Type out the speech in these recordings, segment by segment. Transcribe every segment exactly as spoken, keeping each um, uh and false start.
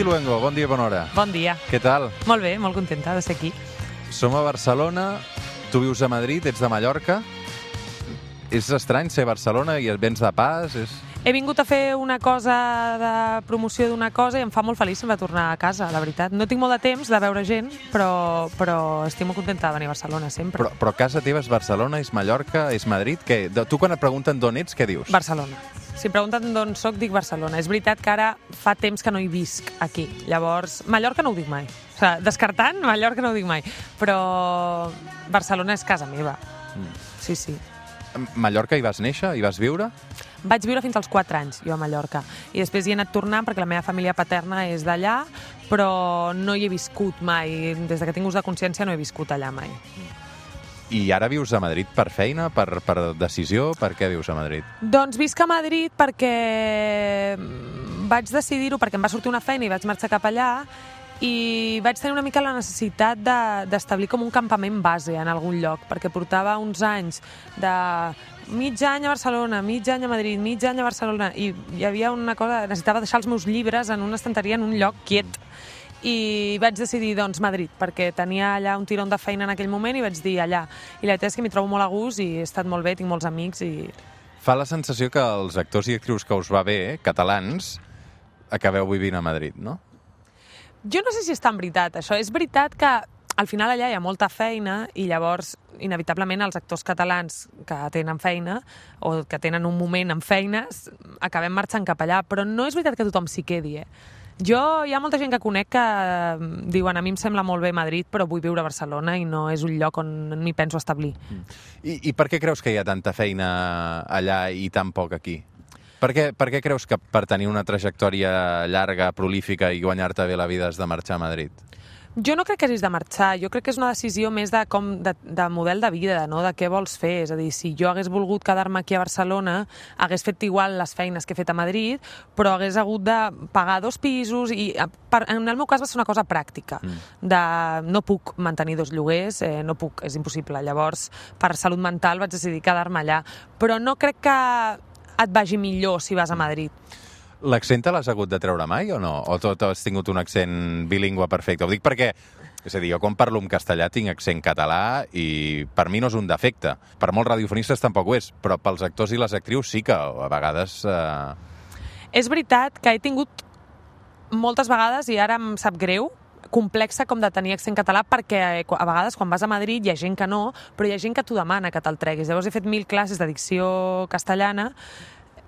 Vicky Luengo, bon dia, bona hora. Bon dia. Què tal? Molt bé, molt contenta de ser aquí. Som a Barcelona, tu vius a Madrid, ets de Mallorca. És estrany ser a Barcelona i vens de pas? És... He vingut a fer una cosa de promoció d'una cosa i em fa molt feliç sempre tornar a casa, la veritat. No tinc molt de temps de veure gent, però, però estic molt contenta de venir a Barcelona sempre. Però, però casa teva és Barcelona, és Mallorca, és Madrid? Què? Tu quan et pregunten d'on ets, què dius? Barcelona. Si em pregunten d'on soc, dic Barcelona. És veritat que ara fa temps que no hi visc aquí. Llavors, Mallorca no ho dic mai. O sigui, descartant, Mallorca no ho dic mai. Però Barcelona és casa meva. Mm. Sí, sí. Mallorca hi vas néixer? Hi vas viure? Vaig viure fins als quatre anys, jo a Mallorca. I després hi he anat tornant perquè la meva família paterna és d'allà, però no hi he viscut mai. Des que tinc ús de consciència no he viscut allà mai. I ara vius a Madrid per feina, per, per decisió? Per què vius a Madrid? Doncs visc a Madrid perquè vaig decidir-ho, perquè em va sortir una feina i vaig marxar cap allà, i vaig tenir una mica la necessitat d'establir com un campament base en algun lloc, perquè portava uns anys de mig any a Barcelona, mig any a Madrid, mig any a Barcelona, i hi havia una cosa, necessitava deixar els meus llibres en una estanteria en un lloc quiet. I vaig decidir, doncs, Madrid, perquè tenia allà un tirón de feina en aquell moment i vaig dir allà. I la veritat és que m'hi trobo molt a gust i he estat molt bé, tinc molts amics i... Fa la sensació que els actors i actrius que us va bé, catalans, acabeu vivint a Madrid, no? Jo no sé si és tan veritat, això. És veritat que al final allà hi ha molta feina i llavors, inevitablement, els actors catalans que tenen feina o que tenen un moment amb feines, acabem marxant cap allà, però no és veritat que tothom s'hi quedi, eh? Jo, hi ha molta gent que conec que diuen a mi em sembla molt bé Madrid, però vull viure a Barcelona i no és un lloc on m'hi penso establir. I, I per què creus que hi ha tanta feina allà i tan poc aquí? Per què, per què creus que per tenir una trajectòria llarga, prolífica i guanyar-te bé la vida has de marxar a Madrid? Jo no crec que hagis de marxar, jo crec que és una decisió més de, com, de, de model de vida, no? De què vols fer. És a dir, si jo hagués volgut quedar-me aquí a Barcelona, hagués fet igual les feines que he fet a Madrid, però hagués hagut de pagar dos pisos i per, en el meu cas va ser una cosa pràctica. Mm. De, no puc mantenir dos lloguers, eh, no puc, és impossible. Llavors, per salut mental vaig decidir quedar-me allà. Però no crec que et vagi millor si vas a Madrid. L'accent te l'has hagut de treure mai o no? O tot has tingut un accent bilingüe perfecte? Ho dic perquè, és a dir, jo quan parlo en castellà tinc accent català i per mi no és un defecte. Per molts radiofonistes tampoc ho és, però pels actors i les actrius sí que a vegades... Eh... És veritat que he tingut moltes vegades, i ara em sap greu, complexa com de tenir accent català, perquè a vegades quan vas a Madrid hi ha gent que no, però hi ha gent que t'ho demana que te'l treguis. Llavors he fet mil classes de dicció castellana,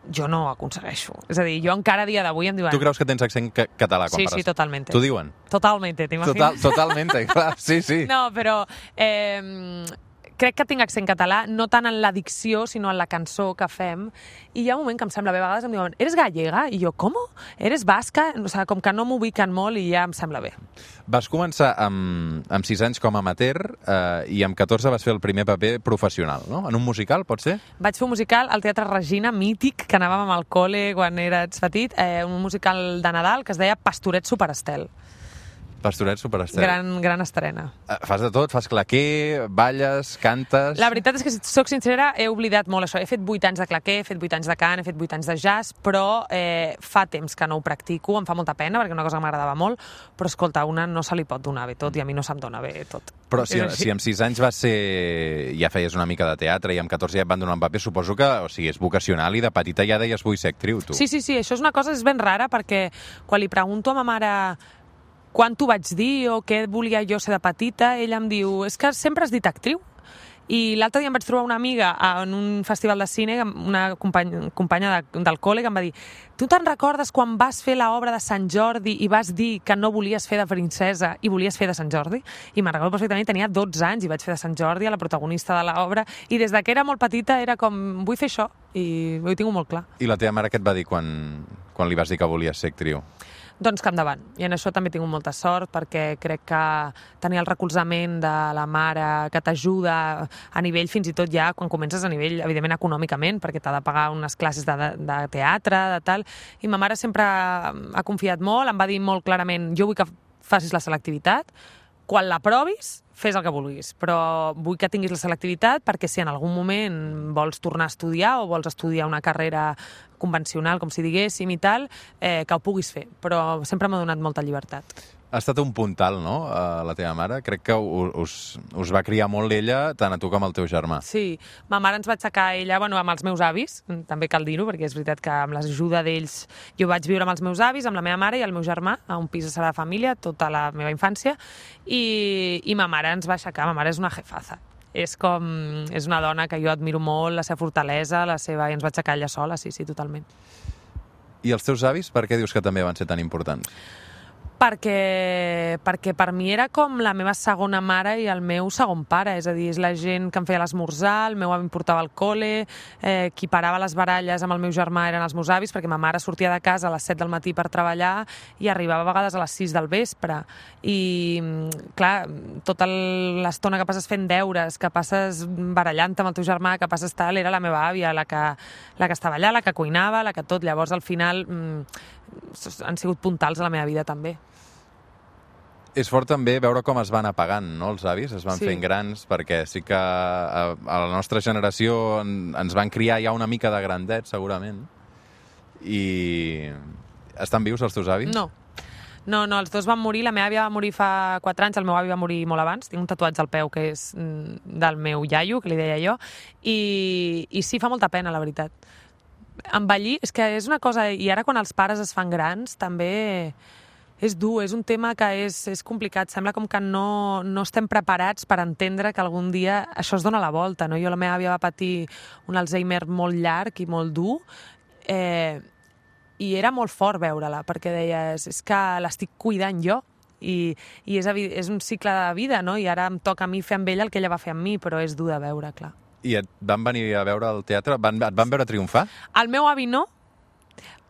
jo no ho aconsegueixo. És a dir, jo encara a dia d'avui em diuen... Tu creus que tens accent ca català quan sí, parles? Sí, sí, totalment. T'ho diuen? Totalment, t'imagines? Total, totalment, clar, sí, sí. No, però eh, crec que tinc accent català, no tant en la dicció, sinó en la cançó que fem, i hi ha un moment que em sembla bé, a vegades em diuen, eres gallega? I jo, com? Eres basca? O sigui, com que no m'ubiquen molt i ja em sembla bé. Vas començar amb, amb sis anys com a amateur eh, i amb catorze vas fer el primer paper professional, no? En un musical, pot ser? Vaig fer un musical al Teatre Regina, mític, que anàvem al col·le quan eres petit, eh, un musical de Nadal que es deia Pastoret Superestel. Pastoret Superestel. Gran, gran estrena. Uh, fas de tot? Fas claquer, balles, cantes... La veritat és que, si soc sincera, he oblidat molt això. He fet vuit anys de claquer, he fet vuit anys de cant, he fet vuit anys de jazz, però eh, fa temps que no ho practico, em fa molta pena, perquè una cosa que m'agradava molt, però, escolta, una no se li pot donar bé tot, i a mi no se'm dona bé tot. Però si, si amb sis anys vas ser... ja feies una mica de teatre i amb catorze ja et van donar un paper, suposo que, o sigui, és vocacional i de petita ja deies vull ser actriu, tu. Sí, sí, sí, això és una cosa, és ben rara, perquè quan li pregunto a ma mare quan t'ho vaig dir o què volia jo ser de petita, ella em diu, és que sempre has dit actriu. I l'altre dia em vaig trobar una amiga en un festival de cine, una companya, companya de, del col·le, que em va dir, tu te'n recordes quan vas fer l'obra de Sant Jordi i vas dir que no volies fer de princesa i volies fer de Sant Jordi? I me'n recordo perfectament, tenia dotze anys i vaig fer de Sant Jordi, a la protagonista de l'obra, i des que era molt petita era com, vull fer això, i ho tinc molt clar. I la teva mare què et va dir quan, quan li vas dir que volies ser actriu? Doncs que endavant. I en això també tinc molta sort, perquè crec que tenir el recolzament de la mare que t'ajuda a nivell, fins i tot ja quan comences a nivell, evidentment, econòmicament, perquè t'ha de pagar unes classes de, de teatre, de tal, i ma mare sempre ha confiat molt, em va dir molt clarament, jo vull que facis la selectivitat, quan la provis, fes el que vulguis, però vull que tinguis la selectivitat perquè si en algun moment vols tornar a estudiar o vols estudiar una carrera convencional, com si diguéssim i tal, eh, que ho puguis fer, però sempre m'ha donat molta llibertat. Ha estat un puntal, no?, a la teva mare. Crec que us, us va criar molt ella, tant a tu com al teu germà. Sí, ma mare ens va aixecar ella, bueno, amb els meus avis, també cal dir-ho, perquè és veritat que amb l'ajuda d'ells jo vaig viure amb els meus avis, amb la meva mare i el meu germà, a un pis de Sagrada Família, tota la meva infància, i, i ma mare ens va aixecar. Ma mare és una jefaza. És com... és una dona que jo admiro molt, la seva fortalesa, la seva... i ens va aixecar ella sola, sí, sí, totalment. I els teus avis, per què dius que també van ser tan importants? Perquè, perquè per mi era com la meva segona mare i el meu segon pare, és a dir, és la gent que em feia l'esmorzar, el meu avi em portava al col·le, eh, qui parava les baralles amb el meu germà eren els meus avis, perquè ma mare sortia de casa a les set del matí per treballar i arribava a vegades a les sis del vespre. I, clar, tota l'estona que passes fent deures, que passes barallant amb el teu germà, que passes tal, era la meva àvia, la que, la que estava allà, la que cuinava, la que tot. Llavors, al final, han sigut puntals a la meva vida, també. És fort també veure com es van apagant, no?, els avis, es van sí. fent grans, perquè sí que a, a la nostra generació en, ens van criar ja una mica de grandet, segurament. I estan vius els teus avis? No. No, no, els dos van morir, la meva àvia va morir fa quatre anys, el meu avi va morir molt abans, tinc un tatuatge al peu que és del meu iaio, que li deia jo, i, i sí, fa molta pena, la veritat. Envellir, és que és una cosa, i ara quan els pares es fan grans, també... és dur, és un tema que és, és complicat. Sembla com que no, no estem preparats per entendre que algun dia això es dona la volta, no? Jo, la meva àvia va patir un Alzheimer molt llarg i molt dur, eh, i era molt fort veure-la, perquè deies, és que l'estic cuidant jo, i, i és, és un cicle de vida, no? I ara em toca a mi fer amb ella el que ella va fer amb mi, però és dur de veure, clar. I et van venir a veure al teatre? Van, et van veure triomfar? El meu avi no,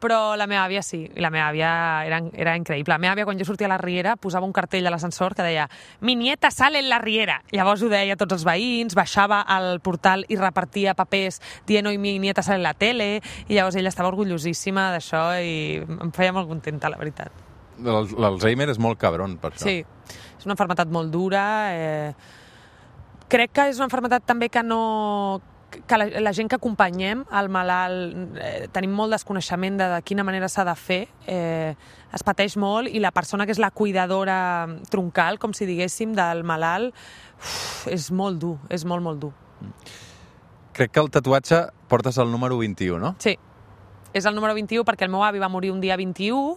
però la meva àvia sí, i la meva àvia era, era increïble. La meva àvia, quan jo sortia a la Riera, posava un cartell a l'ascensor que deia «Mi nieta sale en la Riera». Llavors ho deia a tots els veïns, baixava al portal i repartia papers dient «Oi, mi nieta sale en la tele», i llavors ella estava orgullosíssima d'això i em feia molt contenta, la veritat. L'Alzheimer és molt cabron, per això. Sí, és una malaltia molt dura. Eh... Crec que és una malaltia també que no... que la, la gent que acompanyem al malalt eh, tenim molt desconeixement de, de quina manera s'ha de fer, eh, es pateix molt, i la persona que és la cuidadora troncal, com si diguéssim, del malalt, uf, és molt dur, és molt, molt dur. Crec que el tatuatge portes el número vint-i-u, no? Sí, és el número vint-i-u perquè el meu avi va morir un dia vint-i-u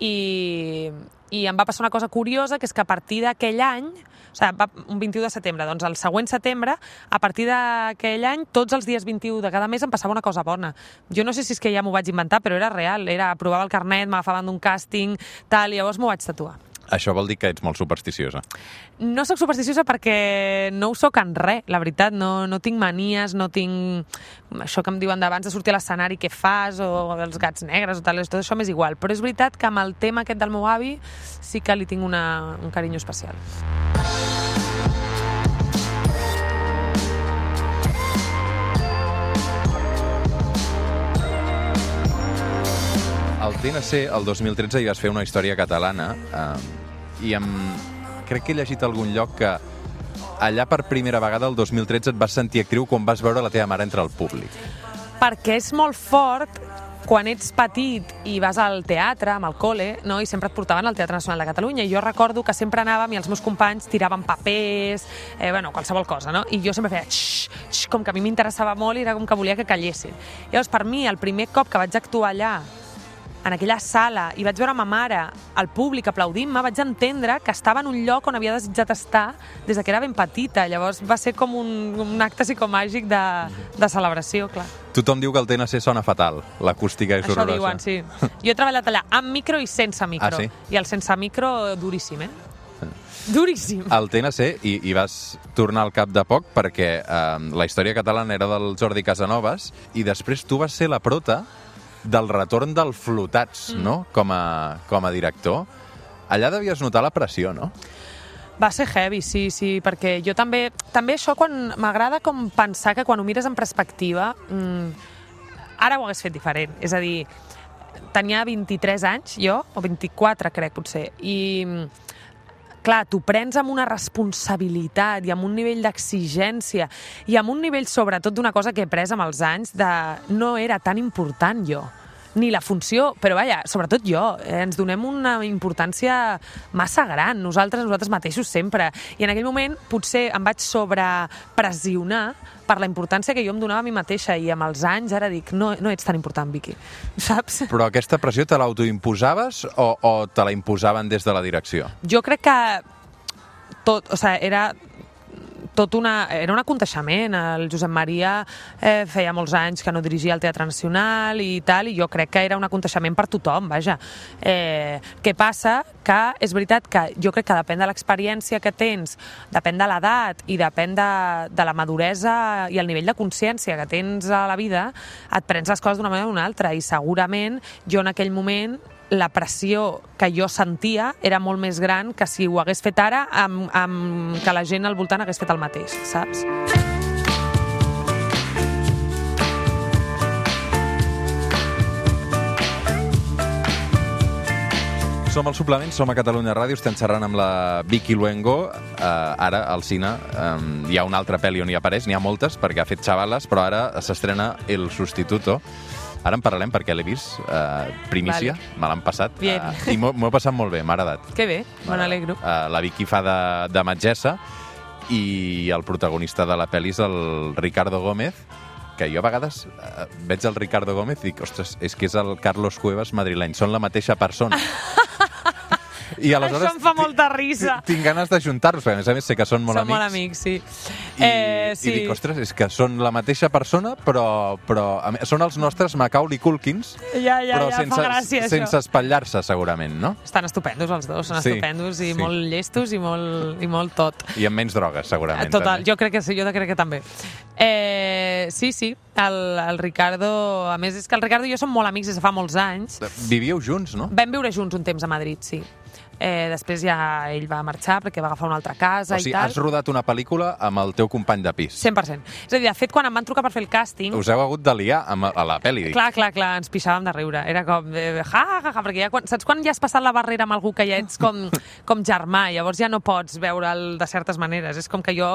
i, i em va passar una cosa curiosa, que és que a partir d'aquell any, o sigui, va, un vint-i-u de setembre, doncs el següent setembre, a partir d'aquell any, tots els dies vint-i-u de cada mes em passava una cosa bona. Jo no sé si és que ja m'ho vaig inventar, però era real, era aprovava el carnet, m'agafaven d'un càsting, tal, i llavors m'ho vaig tatuar. Això vol dir que ets molt supersticiosa. No soc supersticiosa perquè no ho soc en res, la veritat. No, no tinc manies, no tinc... Això que em diuen d'abans de sortir a l'escenari, què fas, o els gats negres, o tal, tot això m'és igual. Però és veritat que amb el tema aquest del meu avi sí que li tinc una, un carinyo especial. Al T N C, el dos mil tretze, hi vas fer una història catalana eh, i em... crec que he llegit a algun lloc que allà per primera vegada, el dos mil tretze, et vas sentir actriu quan vas veure la teva mare entre el públic. Perquè és molt fort quan ets petit i vas al teatre, amb el col·le, no? I sempre et portaven al Teatre Nacional de Catalunya, i jo recordo que sempre anàvem i els meus companys tiraven papers, eh, bueno, qualsevol cosa, no? I jo sempre feia xx, xx, com que a mi m'interessava molt i era com que volia que callessin. Llavors, per mi, el primer cop que vaig actuar allà, en aquella sala, i vaig veure ma mare, el públic aplaudint-me, vaig entendre que estava en un lloc on havia desitjat estar des que era ben petita. Llavors va ser com un, un acte psicomàgic de, de celebració, clar. Tothom diu que el T N C sona fatal, l'acústica és horrorosa. Això diuen, sí. Jo he treballat allà amb micro i sense micro. Ah, sí? I el sense micro, duríssim, eh? Duríssim. Al T N C, i, i vas tornar al cap de poc perquè eh, la història catalana era del Jordi Casanovas, i després tu vas ser la prota del retorn del Flotats, mm. no?, com a, com a director. Allà devies notar la pressió, no? Va ser heavy, sí, sí, perquè jo també... També això quan m'agrada com pensar que quan ho mires en perspectiva, mmm, ara ho hagués fet diferent. És a dir, tenia vint-i-tres anys, jo, o vint-i-quatre, crec, potser, i clar, t'ho prens amb una responsabilitat i amb un nivell d'exigència i amb un nivell, sobretot, d'una cosa que he pres amb els anys, de no era tan important jo, ni la funció, però vaja, sobretot jo, eh, ens donem una importància massa gran, nosaltres, nosaltres mateixos sempre, i en aquell moment potser em vaig sobrepressionar per la importància que jo em donava a mi mateixa, i amb els anys ara dic, no, no ets tan important, Vicky, saps? Però aquesta pressió te l'autoimposaves o, o te la imposaven des de la direcció? Jo crec que tot, o sigui, era tot una, era un aconteixement. El Josep Maria eh, feia molts anys que no dirigia el Teatre Nacional i tal, i jo crec que era un aconteixement per tothom, vaja. Eh, què passa? Que és veritat que jo crec que depèn de l'experiència que tens, depèn de l'edat i depèn de, de la maduresa i el nivell de consciència que tens a la vida, et prens les coses d'una manera o d'una altra, i segurament jo en aquell moment la pressió que jo sentia era molt més gran que si ho hagués fet ara amb, amb que la gent al voltant hagués fet el mateix, saps? Som al Suplement, som a Catalunya Ràdio, estem xerrant amb la Vicky Luengo. Uh, ara, al cine, um, hi ha una altra pel·li on hi apareix, n'hi ha moltes, perquè ha fet Xavales, però ara s'estrena El Sustituto. Ara en parlarem perquè l'he vist, uh, primícia, vale. Me l'han passat, uh, i m'ho he passat molt bé, m'ha agradat. Que bé, me n'alegro. Uh, la Vicky fa de, de metgessa i el protagonista de la pel·li és el Ricardo Gómez, que jo a vegades uh, veig el Ricardo Gómez i dic, ostres, és que és el Carlos Cuevas madrileny, són la mateixa persona. I aleshores això em fa molta risa. Tinc ganes d'ajuntar-los, perquè a més a més sé que són molt són amics. Són molt amics, sí. I, eh, sí. I dic, ostres, és que són la mateixa persona, però, però són els nostres Macaulay Culkins, ja, ja, però ja, sense, fa gràcia, sense això. espatllar-se, segurament, no? Estan estupendos els dos, són sí, estupendos i sí. molt llestos i molt, i molt tot. I amb menys drogues, segurament. Total, també. jo crec que sí, jo crec que també. Eh, sí, sí, el, el Ricardo... A més, és que el Ricardo i jo som molt amics des de fa molts anys. Vivíeu junts, no? Vam viure junts un temps a Madrid, sí. Eh, després ja ell va marxar perquè va agafar una altra casa, o sigui, i tal. Has rodat una pel·lícula amb el teu company de pis. cent per cent. És a dir, de fet, quan em van trucar per fer el càsting... Us heu hagut de liar amb, a la pel·li. Clar, clar, clar, ens pixàvem de riure. Era com, eh, ja, ja, ja, perquè ja, quan, saps quan ja has passat la barrera amb algú que ja ets com, com germà, llavors ja no pots veure'l de certes maneres. És com que jo,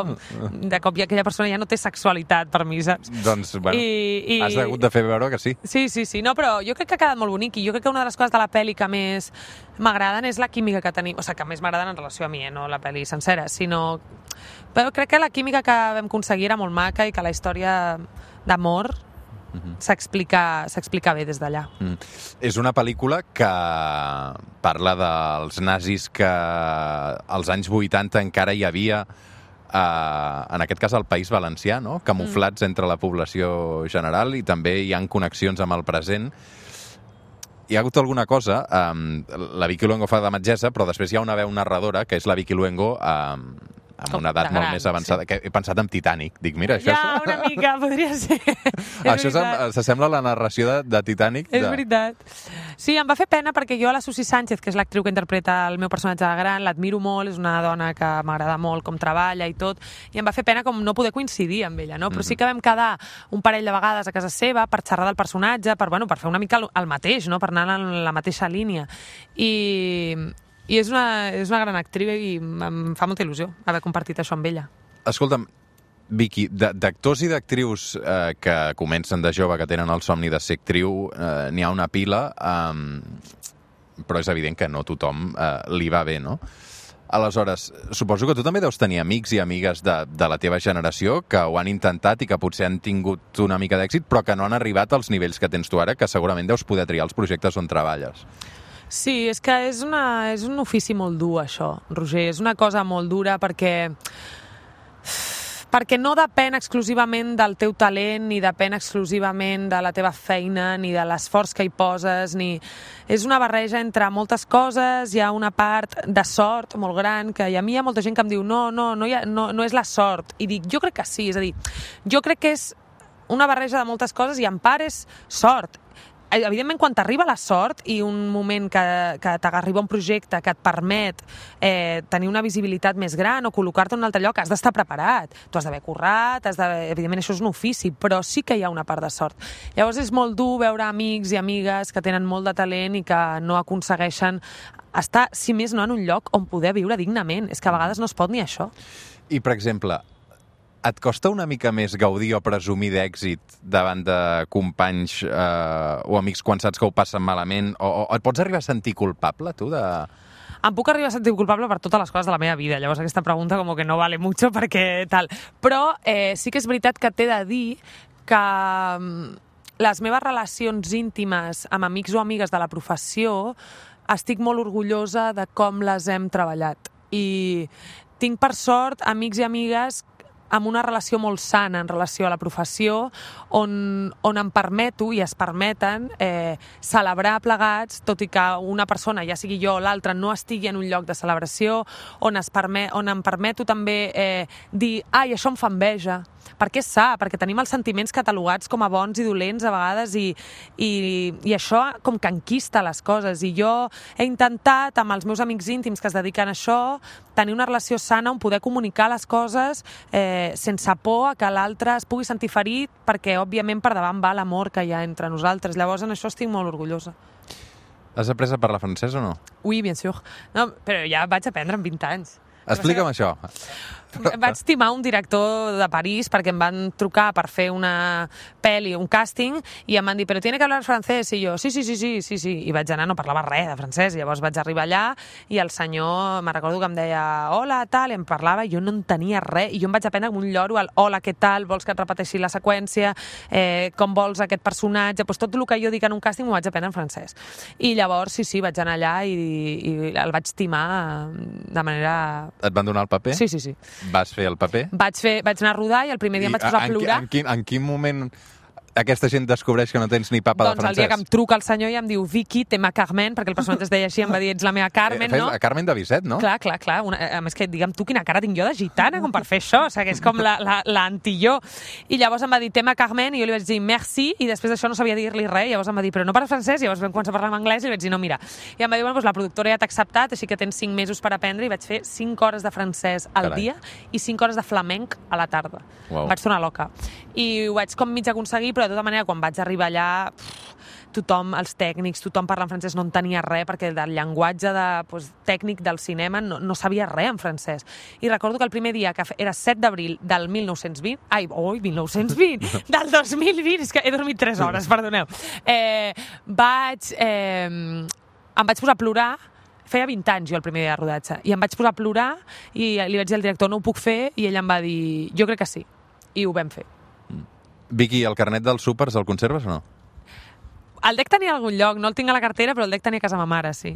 de cop, ja, aquella persona ja no té sexualitat per mi, saps? Doncs, bueno, I, i... has hagut de fer veure que sí. Sí, sí, sí. No, però jo crec que ha quedat molt bonic, i jo crec que una de les coses de la pel·li que més m'agraden és la química que tenim, o sigui, que més m'agraden en relació a mi, eh? No la pel·li sencera, sinó... Però crec que la química que vam aconseguir era molt maca i que la història d'amor uh-huh. s'explica bé des d'allà. Mm. És una pel·lícula que parla dels nazis que als anys vuitanta encara hi havia, eh, en aquest cas al País Valencià, no? Camuflats mm. entre la població general, i també hi ha connexions amb el present. Hi ha hagut alguna cosa, um, la Vicky Luengo fa de metgessa, però després hi ha una veu narradora, que és la Vicky Luengo, um, amb una edat gran, molt més avançada, sí. Que he pensat en Titanic. Dic, mira, això... Ja, una mica, podria ser. Això s'assembla a la narració de, de Titanic. És de... veritat. Sí, em va fer pena perquè jo a la Susi Sánchez, que és l'actriu que interpreta el meu personatge de gran, l'admiro molt, és una dona que m'agrada molt com treballa i tot, i em va fer pena com no poder coincidir amb ella, no? Però sí que vam quedar un parell de vegades a casa seva per xerrar del personatge, per, bueno, per fer una mica el mateix, no? Per anar en la mateixa línia. I... I és una, és una gran actriu i em fa molta il·lusió haver compartit això amb ella. Escolta'm, Vicky, d'actors i d'actrius eh, que comencen de jove, que tenen el somni de ser actriu, eh, n'hi ha una pila, eh, però és evident que no tothom eh, li va bé, no? Aleshores, suposo que tu també deus tenir amics i amigues de, de la teva generació que ho han intentat i que potser han tingut una mica d'èxit, però que no han arribat als nivells que tens tu ara, que segurament deus poder triar els projectes on treballes. Sí, és que és, una, és un ofici molt dur, això, Roger. És una cosa molt dura perquè... perquè no depèn exclusivament del teu talent, ni depèn exclusivament de la teva feina, ni de l'esforç que hi poses, ni... És una barreja entre moltes coses, hi ha una part de sort molt gran, que a mi hi ha molta gent que em diu no, no, no, hi ha, no, no és la sort. I dic, jo crec que sí, és a dir, jo crec que és una barreja de moltes coses i en part és sort. evidentment, quan t'arriba la sort i un moment que, que t'arriba un projecte que et permet eh, tenir una visibilitat més gran o col·locar-te en un altre lloc, has d'estar preparat. Tu has d'haver currat, has de... evidentment això és un ofici, però sí que hi ha una part de sort. Llavors és molt dur veure amics i amigues que tenen molt de talent i que no aconsegueixen estar, si més no, en un lloc on poder viure dignament. És que a vegades no es pot ni això. I, per exemple, et costa una mica més gaudir o presumir d'èxit davant de companys eh, o amics quan saps que ho passen malament? O, o et pots arribar a sentir culpable, tu, de... Em puc arribar a sentir culpable per totes les coses de la meva vida. Llavors aquesta pregunta com que no vale mucho perquè tal. Però eh, sí que és veritat que t'he de dir que les meves relacions íntimes amb amics o amigues de la professió estic molt orgullosa de com les hem treballat. I tinc, per sort, amics i amigues amb una relació molt sana en relació a la professió, on, on em permeto i es permeten eh, celebrar plegats, tot i que una persona, ja sigui jo o l'altra, no estigui en un lloc de celebració, on, es permet, on em permeto també eh, dir, ai, això em fa enveja, perquè és sa, perquè tenim els sentiments catalogats com a bons i dolents a vegades i, i, i això com que enquista les coses. I jo he intentat, amb els meus amics íntims que es dediquen a això, tenir una relació sana on poder comunicar les coses eh, sense por a que l'altre es pugui sentir ferit, perquè òbviament per davant va l'amor que hi ha entre nosaltres. Llavors en això estic molt orgullosa. Has après a parlar francès o no? Oui, bien sûr. No, però ja vaig aprendre amb vint anys. Explica'm això. Vaig timar un director de París perquè em van trucar per fer una pel·li, un càsting, i em van dir, però tiene que hablar francès, i jo, sí, sí, sí, sí, sí, sí, i vaig anar, no parlava res de francès, i llavors vaig arribar allà, i el senyor, me recordo que em deia, hola, tal, i em parlava, i jo no en tenia res, i jo em vaig aprendre com un lloro, el, hola, què tal, vols que et repeteixi la seqüència, eh, com vols aquest personatge, doncs tot el que jo dic en un càsting m'ho vaig aprendre en francès. I llavors, sí, sí, vaig anar allà i, i el vaig timar de manera... Et van donar el paper? Sí, sí, sí. Vas fer el paper? Vaig, fer, vaig anar a rodar i el primer dia I em vaig posar a plorar. En, en, quin, en quin moment aquesta gent descobreix que no tens ni papa doncs de francès? Doncs el dia que em truca el senyor i em diu Vicky, tema Carmen, perquè el personatge es deia així, em va dir, ets la meva Carmen, eh, no? La Carmen de Bizet, no? Clar, clar, clar. Una, a més que, digue'm tu, quina cara tinc jo de gitana com per fer això, o sigui, que és com l'anti-jo. I llavors em va dir, tema Carmen, i jo li vaig dir, merci, i després d'això no sabia dir-li res, i llavors em va dir, però no parles francès, i llavors vam començar a parlar en anglès, i li vaig dir, no, mira. I em va dir, bueno, doncs la productora ja t'ha acceptat, així que tens cinc mesos per aprendre, i vaig fer cinc hores de francès al Carai. dia i cinc hores de flamenc a la tarda. Wow. Vaig tornar loca. I ho vaig com mig aconseguir, però de tota manera, quan vaig arribar allà, pff, tothom, els tècnics, tothom parla en francès, no en tenia res, perquè del llenguatge de, pues, tècnic del cinema no, no sabia res en francès. I recordo que el primer dia, que era set d'abril del mil nou-cents vint, ai, oi, mil nou-cents vint, del dos mil vint, és que he dormit tres hores, perdoneu, eh, vaig, eh, em vaig posar a plorar. Feia vint anys jo el primer dia de rodatge, i em vaig posar a plorar i li vaig dir al director, no ho puc fer, i ell em va dir, jo crec que sí, i ho vam fer. Vicky, el carnet dels súpers el conserves o no? El dec tenir a algun lloc, no el tinc a la cartera, però el dec tenir a casa ma mare, sí.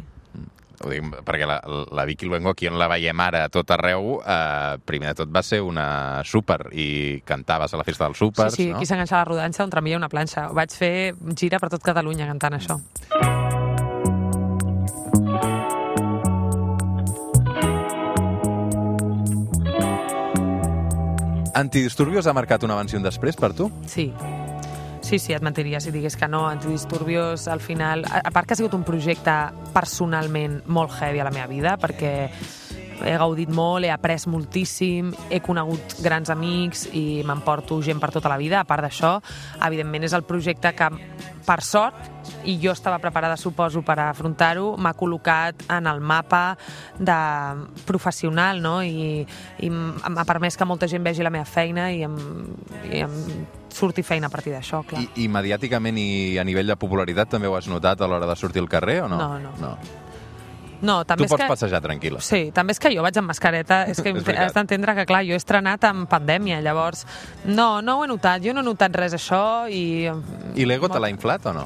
Ho dic perquè la, la Vicky Luengo, aquí on la veiem ara a tot arreu, eh, primer de tot va ser una súper i cantaves a la festa dels súpers, sí, sí, no? aquí s'enganxa la rodanxa, un tramvia i una planxa. Ho vaig fer gira per tot Catalunya cantant això. Antidisturbios ha marcat un abans i un després per tu? Sí. Sí, sí, et mentiria si digués que no. Antidisturbios, al final... A part que ha sigut un projecte personalment molt heavy a la meva vida, perquè he gaudit molt, he après moltíssim, he conegut grans amics i m'emporto gent per tota la vida. A part d'això, evidentment és el projecte que, per sort, i jo estava preparada, suposo, per afrontar-ho, m'ha col·locat en el mapa de professional, no? I, i m'ha permès que molta gent vegi la meva feina i em, i em surti feina a partir d'això, clar. I, I mediàticament i a nivell de popularitat també ho has notat a l'hora de sortir al carrer o no? No, no. no. No, també tu pots que... passejar tranquil·la. Sí, també és que jo vaig amb mascareta, és que és has d'entendre que, clar, jo he estrenat en pandèmia, llavors, no, no ho he notat, jo no he notat res això i... I l'ego te l'ha inflat o no?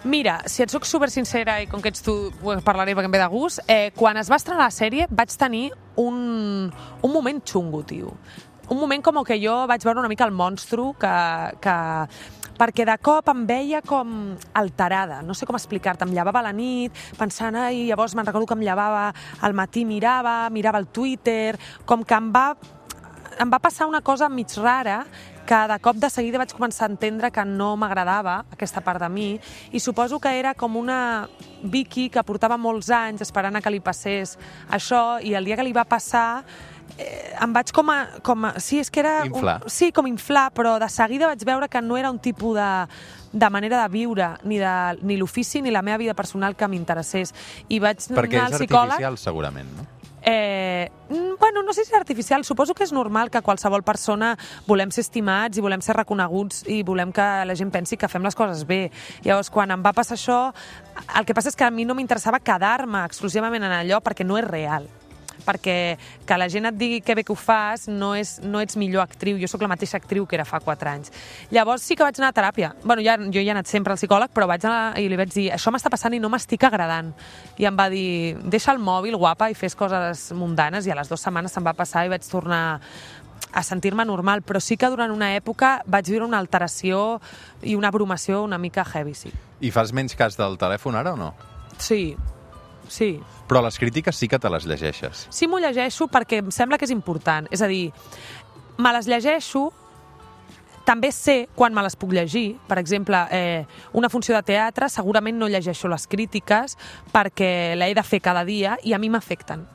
Mira, si et soc super sincera i com que ets tu ho parlaré perquè em ve de gust, eh, quan es va estrenar la sèrie vaig tenir un, un moment xungo, tio. Un moment com que jo vaig veure una mica el monstru que... que perquè de cop em veia com alterada, no sé com explicar-te, em llevava a la nit pensant, i llavors me'n recordo que em llevava al matí, mirava, mirava el Twitter, com que em va, em va passar una cosa mig rara que de cop de seguida vaig començar a entendre que no m'agradava aquesta part de mi, i suposo que era com una Vicky que portava molts anys esperant a que li passés això, i el dia que li va passar eh, em vaig com a... Com a sí, és que era... Inflar. Un, sí, com inflar, però de seguida vaig veure que no era un tipus de, de manera de viure, ni, de, ni l'ofici ni la meva vida personal que m'interessés. I vaig Perquè anar és al psicòleg... artificial, segurament, no? Eh, bueno, no sé si és artificial, suposo que és normal que qualsevol persona volem ser estimats i volem ser reconeguts i volem que la gent pensi que fem les coses bé. Llavors, quan em va passar això, el que passa és que a mi no m'interessava quedar-me exclusivament en allò perquè no és real. Perquè que la gent et digui que bé que ho fas no, és, no ets millor actriu. Jo sóc la mateixa actriu que era fa quatre anys. Llavors sí que vaig anar a teràpia. Bueno, ja, jo ja he anat sempre al psicòleg, però vaig anar i li vaig dir això m'està passant i no m'estic agradant. I em va dir, deixa el mòbil, guapa, i fes coses mundanes, i a les dues setmanes se'm va passar i vaig tornar a sentir-me normal, però sí que durant una època vaig viure una alteració i una abrumació una mica heavy, sí. I fas menys cas del telèfon ara o no? Sí, sí. Però les crítiques sí que te les llegeixes. Sí, m'ho llegeixo perquè em sembla que és important. És a dir, me les llegeixo, també sé quan me les puc llegir. Per exemple, eh, una funció de teatre, segurament no llegeixo les crítiques perquè l'he de fer cada dia i a mi m'afecten.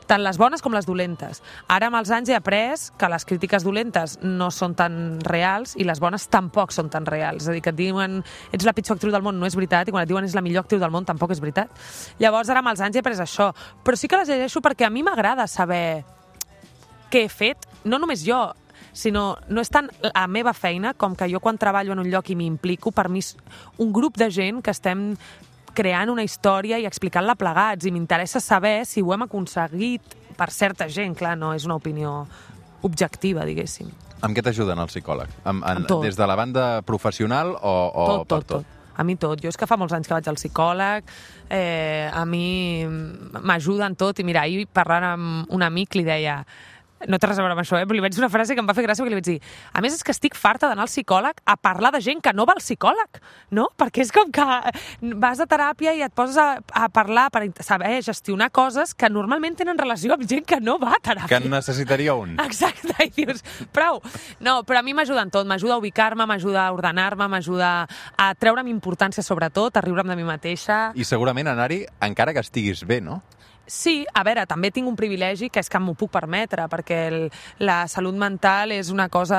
Tant les bones com les dolentes. Ara, amb els anys, he après que les crítiques dolentes no són tan reals i les bones tampoc són tan reals. És a dir, que et diuen ets la pitjor actriu del món, no és veritat, i quan et diuen és la millor actriu del món, tampoc és veritat. Llavors, ara, amb els anys, he après això. Però sí que les llegeixo perquè a mi m'agrada saber què he fet, no només jo, sinó no és tant la meva feina com que jo quan treballo en un lloc i m'hi implico, per mi és un grup de gent que estem creant una història i explicant-la plegats, i m'interessa saber si ho hem aconseguit per certa gent, clar, no és una opinió objectiva, diguéssim. Amb què t'ajuden el psicòleg? Amb, en, Amb tot. Des de la banda professional o, o Tot, per tot, tot. A mi tot. Jo és que fa molts anys que vaig al psicòleg, eh, a mi m'ajuda en tot, i mira, ahir parlant amb un amic li deia, no té res a veure amb això, eh? Però li vaig dir una frase que em va fer gràcia, perquè li vaig dir, a més és que estic farta d'anar al psicòleg a parlar de gent que no va al psicòleg, no? Perquè és com que vas a teràpia i et poses a, a parlar per saber gestionar coses que normalment tenen relació amb gent que no va a teràpia. Que en necessitaria un. Exacte, i dius, prou. No, però a mi m'ajuda en tot, m'ajuda a ubicar-me, m'ajuda a ordenar-me, m'ajuda a treure'm importància sobretot, a riure'm de mi mateixa. I segurament anar-hi encara que estiguis bé, no? Sí, a veure, també tinc un privilegi que és que m'ho puc permetre, perquè el, la salut mental és una cosa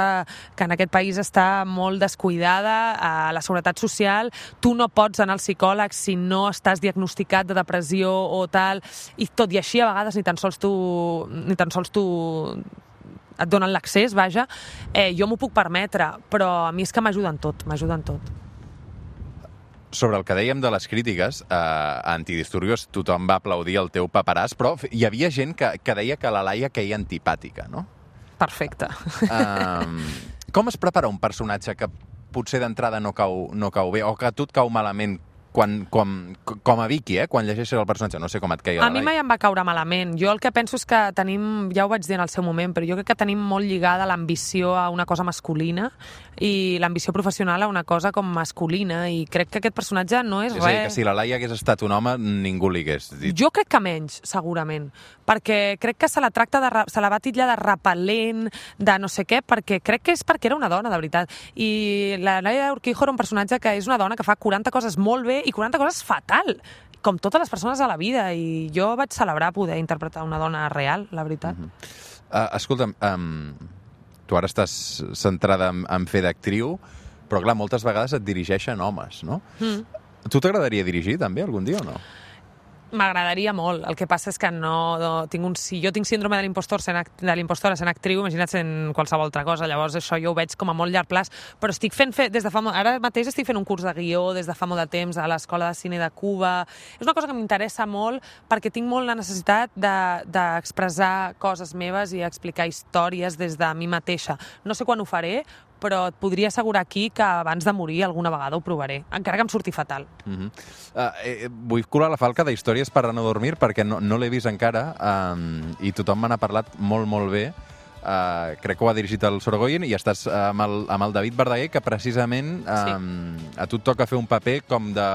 que en aquest país està molt descuidada, a la seguretat social. Tu no pots anar al psicòleg si no estàs diagnosticat de depressió o tal, i tot i així a vegades ni tan sols tu, ni tan sols tu et donen l'accés, vaja. Eh, jo m'ho puc permetre, però a mi és que m'ajuda en tot, m'ajuda en tot. Sobre el que dèiem de les crítiques, eh, a Antidisturbios tothom va aplaudir el teu paperàs, però hi havia gent que, que deia que la Laia queia antipàtica, no? Perfecte. Um, com es prepara un personatge que potser d'entrada no cau, no cau bé, o que a tu et cau malament quan, com, com a Vicky, eh? Quan llegeixes el personatge? No sé com et queia la A mi Laia. mai em va caure malament. Jo el que penso és que tenim, ja ho vaig dir en el seu moment, però jo crec que tenim molt lligada l'ambició a una cosa masculina i l'ambició professional a una cosa com masculina, i crec que aquest personatge no és, És a dir, res... que si la Laia hagués estat un home, ningú li hagués dit. Jo crec que menys, segurament, perquè crec que se la tracta de, se la va titllar de repel·lent, de no sé què, perquè crec que és perquè era una dona, de veritat. I la Laia Urquijo era un personatge que és una dona que fa quaranta coses molt bé i quaranta coses fatal, com totes les persones a la vida, i jo vaig celebrar poder interpretar una dona real, la veritat. Mm-hmm. uh, escolta'm, um, tu ara estàs centrada en, en fer d'actriu, però clar, moltes vegades et dirigeixen homes, no? Mm. Tu t'agradaria dirigir també algun dia o no? M'agradaria molt. El que passa és que no, no tinc un, si jo tinc síndrome de l'impostor sent, de l'impostora sent actriu, imagina't sent qualsevol altra cosa. Llavors això jo ho veig com a molt llarg plaç, però estic fent, fe, des de fa molt, ara mateix estic fent un curs de guió des de fa molt de temps a l'Escola de Cine de Cuba. És una cosa que m'interessa molt perquè tinc molt la necessitat d'expressar de, coses meves i explicar històries des de mi mateixa. No sé quan ho faré, però et podria assegurar aquí que abans de morir alguna vegada ho provaré, encara que em surti fatal. Uh-huh. uh, eh, vull colar la falca d'Històries per a no dormir perquè no, no l'he vist encara, um, i tothom me n'ha parlat molt, molt bé. Uh, crec que ho ha dirigit el Sorogoyen i estàs amb el, amb el David Verdaguer, que precisament um, sí. a tu et toca fer un paper com de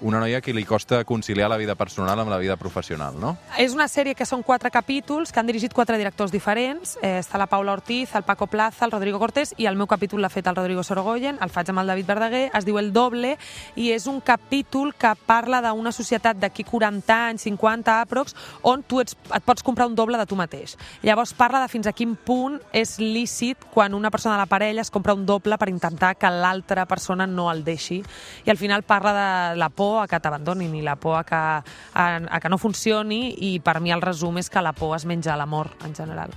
una noia que li costa conciliar la vida personal amb la vida professional, no? És una sèrie que són quatre capítols, que han dirigit quatre directors diferents. Eh, està la Paula Ortiz, el Paco Plaza, el Rodrigo Cortés, i el meu capítol l'ha fet el Rodrigo Sorogoyen, el faig amb el David Verdaguer, es diu El Doble, i és un capítol que parla d'una societat d'aquí quaranta anys, cinquanta aprox, on tu ets, et pots comprar un doble de tu mateix. Llavors parla de fins a quin punt és lícit quan una persona de la parella es compra un doble per intentar que l'altra persona no el deixi. I al final parla de la por a que t'abandonin i la por a que, a, a que no funcioni, i per mi el resum és que la por es menja l'amor en general.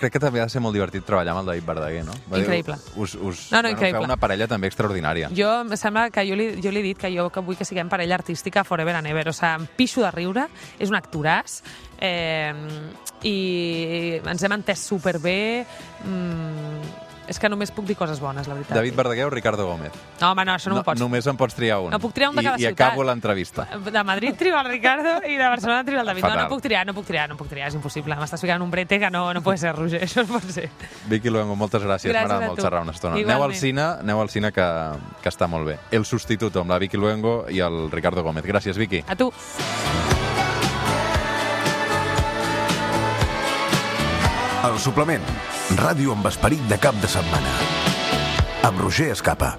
Crec que també ha de ser molt divertit treballar amb el David Verdaguer, no? Increïble. Us, us, no, no, bueno, increïble. Feu una parella també extraordinària. Jo, em sembla que jo li, jo li he dit que jo que vull que siguem parella artística forever and ever. O sigui, em pixo de riure, és un actoràs, eh, i ens hem entès superbé. Mm, és que només puc dir coses bones, la veritat. David Verdaguer o Ricardo Gómez? No, home, no, això no, no m'ho pots. Només en pots triar un. No puc triar un de cada I, ciutat. I acabo l'entrevista. De Madrid trio el Ricardo i de Barcelona trio el David. Fatal. No, no puc triar, no puc triar, no puc triar, és impossible. M'estàs ficant un brete que no, no pot ser, Roger, això no pot ser. Vicky Luengo, moltes gràcies, Gràcies m'agrada a molt tu. xerrar una estona. Igualment. Aneu al cine, aneu al cine que, que està molt bé. El Sustituto, amb la Vicky Luengo i el Ricardo Gómez. Gràcies, Vicky. A tu. El suplement, ràdio amb esperit de cap de setmana, amb Roger Escapa.